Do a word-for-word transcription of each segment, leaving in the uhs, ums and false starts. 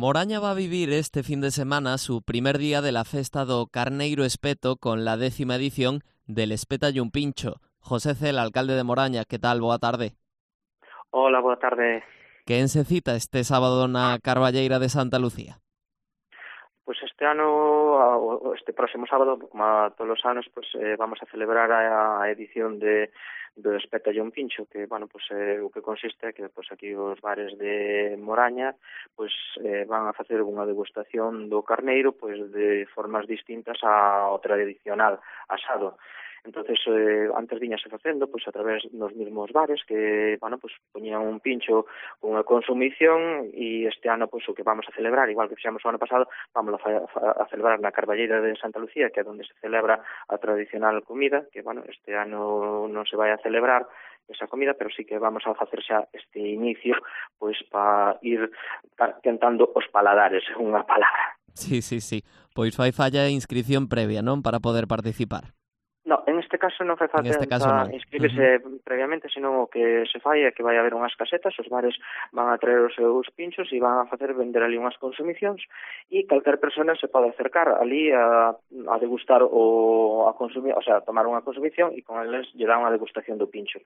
Moraña va a vivir este fin de semana su primer día de la festa do Carneiro Espeto con la décima edición del Espétalle un Pincho. José Cel, alcalde de Moraña, que tal? Boa tarde. Hola, boa tarde. Quen se cita este sábado na Carballeira de Santa Lucía? Pois pues este ano, este próximo sábado, como a todos os anos, pues, eh, vamos a celebrar a, a edición de do Espétalle un Pincho, que, bueno, pues, eh, o que consiste é que pues, aquí os bares de Moraña pues, eh, van a facer unha degustación do carneiro pues, de formas distintas ao tradicional asado. Entonces, eh, antes viñase facendo, pois, a través dos mesmos bares que, bueno, pois, poñían un pincho con unha consumición e este ano, pois, o que vamos a celebrar, igual que fixemos o ano pasado, vamos a, a celebrar na Carballeira de Santa Lucía, que é onde se celebra a tradicional comida, que, bueno, este ano non se vai a celebrar esa comida, pero sí que vamos a facer xa este inicio, pois, para ir tentando os paladares, unha palabra. Sí, sí, sí. Pois fai falla a inscripción previa, non? Para poder participar. No, en este caso non fai falta este caso non. inscribirse uh-huh. previamente, senón o que se fai é que vai haber unhas casetas, os bares van a traer os seus pinchos e van a facer vender ali unhas consumicións e calquer persona se pode acercar ali a, a degustar o a consumir, o sea, a tomar unha consumición e con eles lle dan unha degustación do pincho.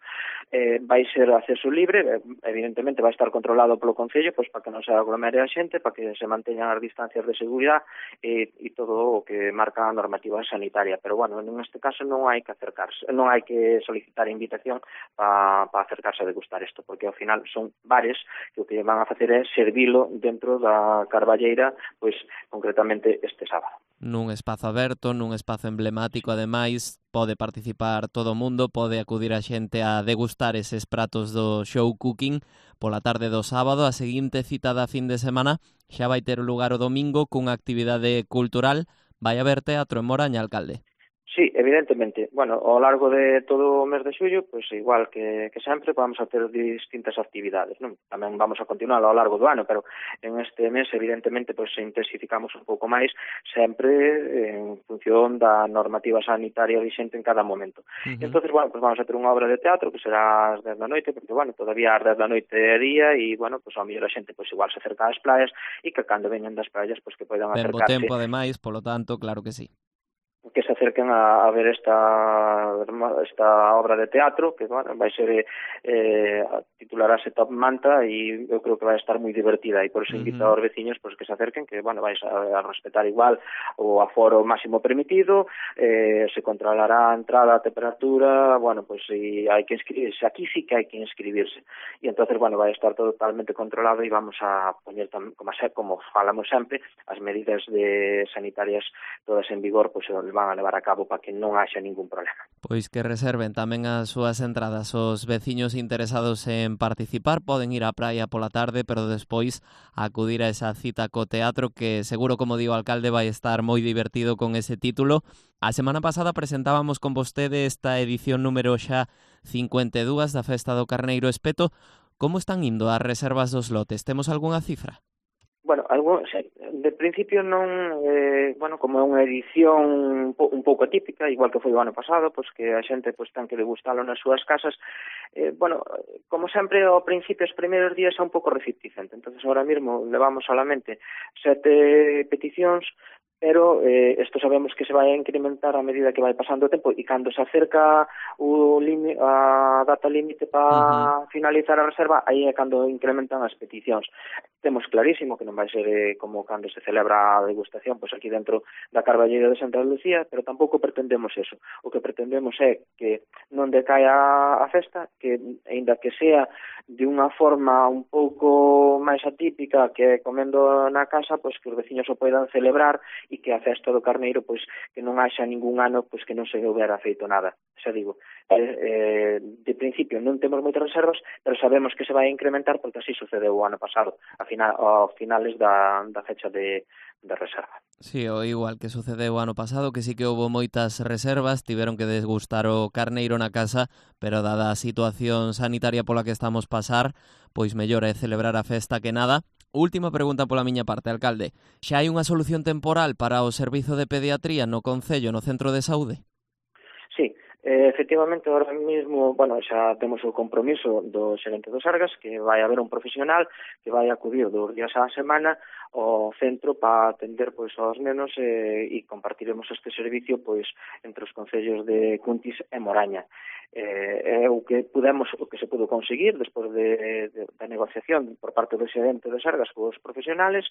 Eh, vai ser acceso libre, evidentemente vai estar controlado polo Concello, pois para que non se aglomere a xente, para que se manteñan as distancias de seguridade e, e todo o que marca a normativa sanitaria, pero bueno, en este caso non hai que acercarse, non hai que solicitar invitación para pa acercarse a degustar isto, porque ao final son bares que o que van a facer é servilo dentro da Carballeira, pois concretamente este sábado. Nun espazo aberto, nun espazo emblemático, ademais, pode participar todo o mundo, pode acudir a xente a degustar eses pratos do show cooking pola tarde do sábado. A seguinte cita da fin de semana xa vai ter lugar o domingo cunha actividade cultural. Vai haber teatro en Moraña, alcalde? Sí, evidentemente. Bueno, ao largo de todo o mes de xullo, pois pues, igual que, que sempre, vamos a ter distintas actividades, non? Tamén vamos a continuar ao largo do ano, pero en este mes, evidentemente, pois pues, intensificamos un pouco máis, sempre en función da normativa sanitaria vixente en cada momento. Uh-huh. Entonces, bueno, pues vamos a ter unha obra de teatro que será ás dez da noite, porque, bueno, todavía ás dez da noite é día e, bueno, pues ao mellor a xente pois pues, igual se acerca ás playas e que cando veñan das playas, pois pues, que poidan ben acercarse. Bo tempo, ademais, polo tanto, claro que sí. Que se acerquen a, a ver esta esta obra de teatro que bueno, vai ser eh, titularase Top Manta e eu creo que vai estar moi divertida e por eso invito uh-huh. aos veciños pues, que se acerquen, que bueno, vais a, a respetar igual o aforo máximo permitido, eh, se controlará a entrada, a temperatura, bueno, pues si hai que inscribirse, aquí sí que hai que inscribirse e entonces bueno, vai estar todo totalmente controlado e vamos a poñer tam, como, como falamos sempre, as medidas de sanitarias todas en vigor, pues van a levar a cabo para que non haxa ningún problema. Pois que reserven tamén as súas entradas. Os veciños interesados en participar poden ir á praia pola tarde, pero despois acudir a esa cita co teatro que seguro, como digo, o alcalde vai estar moi divertido con ese título. A semana pasada presentábamos con vostede esta edición número xa cincuenta e dúas da Festa do Carneiro Espeto. Como están indo as reservas dos lotes? Temos algunha cifra? Bueno, algo, de principio non, eh, bueno, como é unha edición un, po, un pouco atípica, igual que foi o ano pasado, pois que a xente pois ten que degustalo nas súas casas, eh, bueno, como sempre ao principio, os primeiros días é un pouco reticente, entonces ahora mesmo levamos solamente sete peticións, pero eh, isto sabemos que se vai a incrementar a medida que vai pasando o tempo e cando se acerca o limi, a data límite para uh-huh. finalizar a reserva, aí é cando incrementan as peticións. Temos clarísimo que non vai ser eh, como cando se celebra a degustación, pois aquí dentro da Carballeira de Santa Lucía, pero tampouco pretendemos eso. O que pretendemos é que non decaia a festa, que aínda que sea de unha forma un pouco máis atípica que comendo na casa, pois que os veciños o poidan celebrar e que a festa do carneiro, pois que non haxa ningún ano pois que non se houbera feito nada. Xa digo, eh, eh, de principio non temos moitas reservas, pero sabemos que se vai a incrementar porque así sucedeu o ano pasado, a final, a finales da, da fecha de, de reserva. Sí, o igual que sucedeu o ano pasado, que sí que houve moitas reservas, tiveron que desgustar o carneiro na casa, pero dada a situación sanitaria pola que estamos pasar, pois mellor é celebrar a festa que nada. Última pregunta pola miña parte, alcalde. Xa hai unha solución temporal para o servizo de pediatría no Concello, no Centro de Saúde? Sí, eh, efectivamente, ahora mesmo, bueno, xa temos o compromiso do xerente do Sergas, que vai haber un profesional que vai acudir dos días á semana ao centro para atender pois aos nenos eh, e compartiremos este servicio pois entre os concellos de Cuntis e Moraña. Eh, é o que pudemos, o que se pudo conseguir despois de, de, da negociación por parte do xerente de Sergas cos profesionales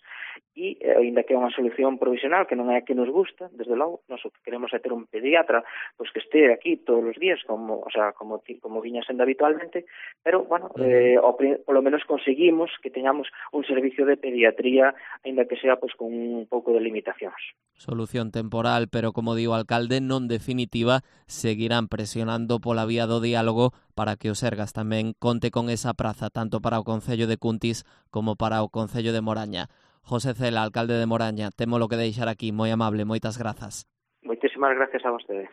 e, eh, ainda que é unha solución provisional que non é a que nos gusta, desde logo, nós o que queremos é ter un pediatra pois que este aquí todos os días, como, o sea, como, como viña sendo habitualmente, pero, bueno, eh, o, polo menos conseguimos que teñamos un servicio de pediatría, ainda que sea pois con un pouco de limitacións. Solución temporal, pero como digo o alcalde, non definitiva, seguirán presionando pola vía do diálogo para que o Sergas tamén conte con esa praza, tanto para o Concello de Cuntis como para o Concello de Moraña. José Cela, alcalde de Moraña, temo lo que deixar aquí, moi amable, moitas grazas. Moitísimas gracias a vostede.